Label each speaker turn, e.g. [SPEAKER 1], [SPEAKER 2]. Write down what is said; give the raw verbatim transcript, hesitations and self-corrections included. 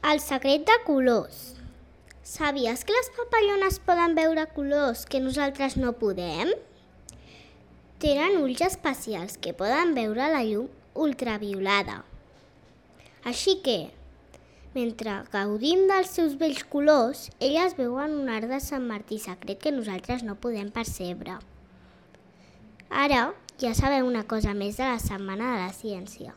[SPEAKER 1] El secret de colors. Sabies que les papallones poden veure colors que nosaltres no podem? Tenen ulls especials que poden veure la llum ultraviolada. Així que, mentre gaudim dels seus bells colors, elles veuen un arc de Sant Martí secret que nosaltres no podem percebre. Ara ja sabeu una cosa més de la Setmana de la Ciència.